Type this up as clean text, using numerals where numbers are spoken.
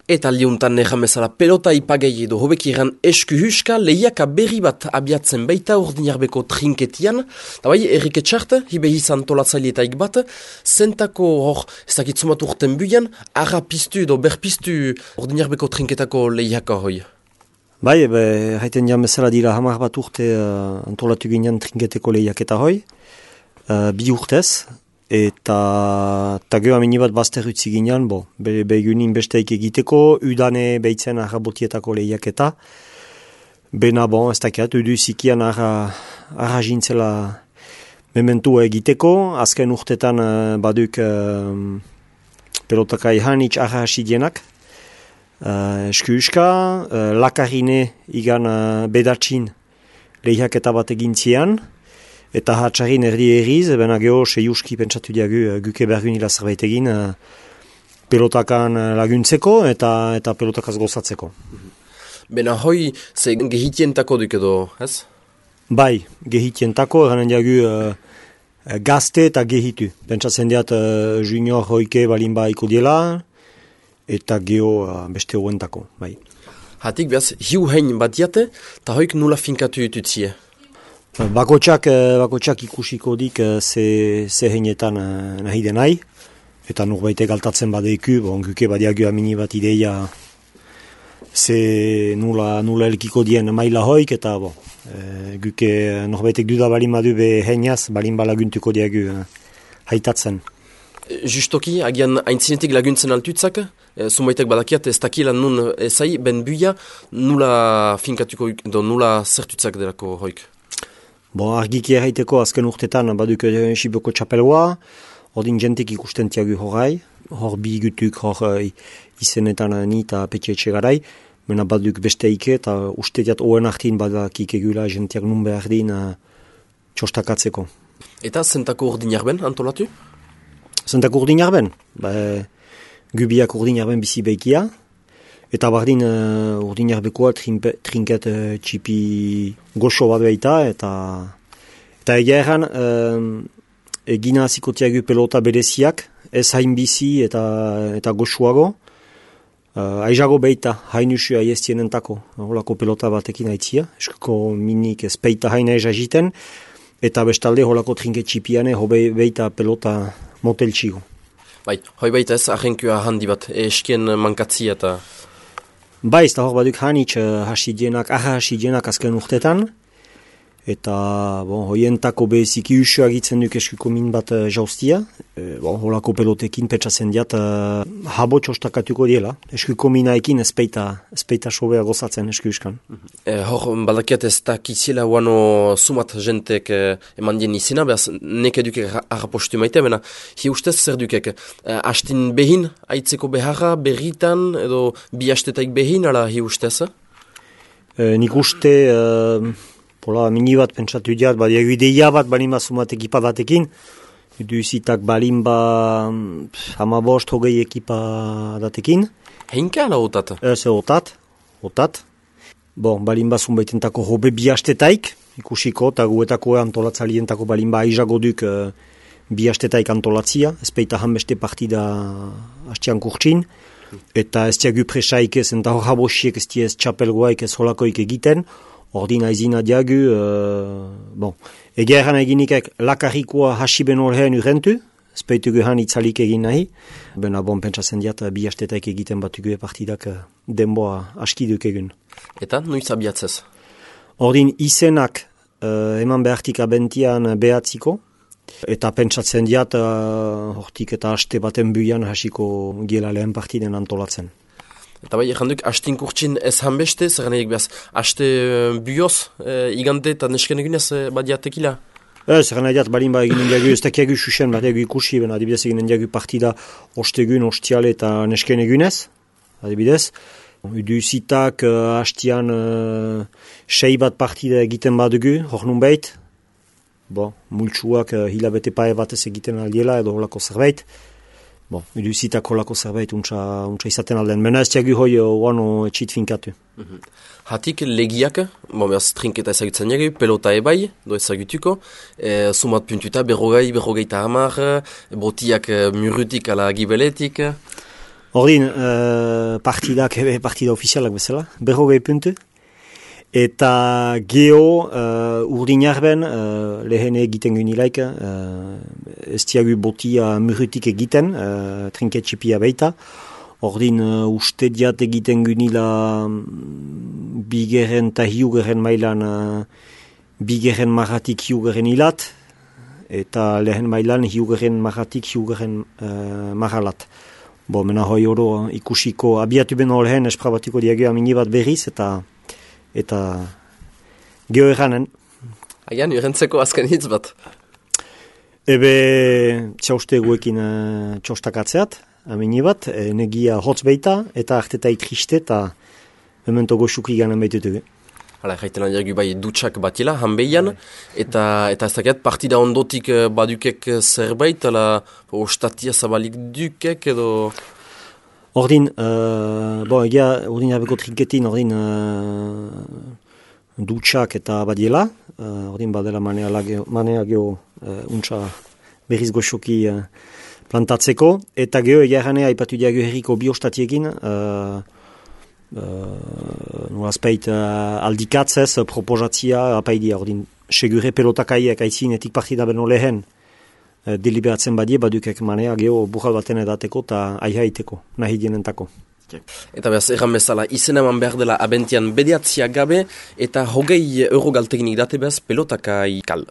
Eta aldiuntan erramezala pelota ipagei edo hobeki eran eskuhuska lehiaka berri bat abiatzen baita urdinarbeko trinketian. Eta bai, Erike Txart, hibe izan tolatzaileetaik bat, zentako hor, ez dakitzumat urten buian, arra piztu edo berpiztu urdinarbeko trinketako lehiaka hoi. Bai, haiten jamezala dira hamar bat urte antolatu ginen trinketeko lehiaketa hoi, 2 urtez. Eta geho amini bat bazter utzi ginen, begunin besteik egiteko, udane behitzen arrabotietako lehiaketa. Bena ez dakiat, udu zikian arra jintzela mementua egiteko, azken urtetan baduk pelotakai hanitz arra hasidienak. Eskuuska, lakarine igan bedatxin lehiaketa bat egintzian. Eta hatxarin erriz, bena geho seiuski pentsatu diagu guke bergun ila zerbait egin pelotakan laguntzeko eta pelotakaz gozatzeko. Bena hoi, ze gehitientako duk edo, ez? Bai, gehitientako, eranen diagu gazte eta gehitu. Pentsatzen diat junior hoike balin baiko diela eta geho beste hoentako, bai. Hatik behaz, hiu hein bat diate, eta hoik nula finkatu jututzie? Bakotxak ikusiko dik ze heinetan nahi denai, eta norbaitek galtatzen badeiku, guke badiagu amini bat ideia ze nula elkiko dien maila hoik, eta guke norbaitek duda balin badu be heinaz, balin balaguntuko diagu haitatzen. Justoki, agian aintzinetik laguntzen altutzak, zumaitek badakiat ez dakiela nun ezai, ben buia, nula finkatuko, nula zertutzak delako hoik. Argiki erraiteko azken urtetan baduk Siboko txapelua, ordin jentek ikusten tiagu horai, hor bi gutuk, hor izenetan ni eta petxetxe garai, mena baduk besteike eta ustetiat oen artin badakik egula jentiak nun behar din txostakatzeko. Eta zentako urdinarben antolatu? Zentako urdinarben? Gubiak urdinarben bizi behikia, eta bardin urdinarbekoa trinket txipi goxo bat behita, eta egia erran egina zikotiagu pelota bereziak, ez hain bizi eta goxuago, aizago behita, hain usu aiestienentako, holako pelota batekin aitzia, eskuko minik ez peita hain aiza jiten, eta bestalde holako trinket txipiane, hobe behita pelota motel txigo. Bai, hoi baita ez ahenkua handi bat, eskien mankatzia eta... Bai, ez da hor baduk hanitz hasidienak azken urtetan, eta hoientako beziki usua egitzen duk eskuko min bat jauztia, holako pelotekin petsatzen diat habo txostakatuko diela, eskuko minaekin ezpeita sobea gozatzen eskuskan. Hor, balakiat ez da kiziela huano sumat jentek eman dien izena, behaz neke duke harrapostu maite, bena hi ustez zer dukek, hastin behin, aitzeko beharra, berritan, edo bi hastetaik behin, ala hi ustez? Nik uste... mini bat pentsatu diat, badiago ideia bat balin bat ekipa batekin, duzitak balin ba 15-20 ekipa datekin. Heinka ala otat? Ez, otat. Balin bat zunbaitentako hobe bi hastetaik, ikusiko, eta guetako antolatzalientako balin ba aizago duk bi hastetaik antolatzia, ez peita hanbeste partida hastian kurtsin, eta ez diagu presaik ez, eta hor habosiek ez diez txapelgoaik ez holakoik egiten, ordina izina diagu, egia erran eginikek lakarrikoa hasiben horrean urrentu, ezpeitugu han itzalik egin nahi, bena pentsatzen diat bi hastetaik egiten batugu partidak denboa askiduk egin. Eta noiz abiatzez? Ordin izenak eman behartik abentian behatziko, eta pentsatzen diat hortik eta haste baten buian hasiko giela lehen partiden antolatzen. Eta bai, erranduk, hastin kurtsin ez hanbeste, zer nahiek behaz, haste buioz, igante eta nesken egunez badiatekila? Zer nahiak balin ba eginen diagu, ez dakiagu susen bat egu ikusi, ben adibidez eginen diagu partida ostegun, ostiale eta nesken egunez, adibidez. Udu zitak hastian 6 bat partida egiten badugu, hor nun behit. Multsuak hilabete pae batez egiten aldiela edo holako zerbait. Udu zitak holako zerbait untsa izaten alden. Mena ez diagu hoi oano etxit finkatu. Hatik legiak, behaz trinketa ezagutzen jagu, pelota ebai, do ezagutuko, sumat puntuta, berrogeita hamar, botiak murutik ala gibeletik. Ordin, partida ofizialak bezala, 40 puntu. Eta geho urdinarben lehen egiten gynilaik, ez diagu botia murrutik egiten, trinketxipia baita. Ordin uste diat egiten gynila bigeren eta hiugeren mailan bigeren marratik hiugeren hilat, eta lehen mailan hiugeren marratik hiugeren marralat. Mena hoi oro ikusiko abiatu beno lehen esprabatiko diagio amini bat berriz, eta geho eranen. Agian, urentzeko azken hitz bat? Ebe txauste guekin txostakatzeat, amini bat, negia hotz beita, eta artetai triste, eta memento goxuki ganen baitutugu. Hala, jaiten adiagu bai dutxak batila, hanbeian, eta ez dakiat, partida ondotik badukek zerbait, ostatia zabalik dukek edo... Ordin, egia, ordin jabeko trinketin, ordin dutxak eta badiela, ordin badela manea geho untsa berriz goxoki plantatzeko, eta geho egia erranea aipatu diago herriko bi ostatiekin, nolazpeit aldikatzez proposatzia apaidia, ordin segure pelotakaiek aitzinetik partida beno lehen, deliberatzen badie, badukek manea geho burral baten edateko eta aihaiteko, nahi dienentako. Eta behaz, erran bezala, izen eman behar dela abentian bediatzia gabe, eta 20 euro galteginik date behaz pelotakai kal.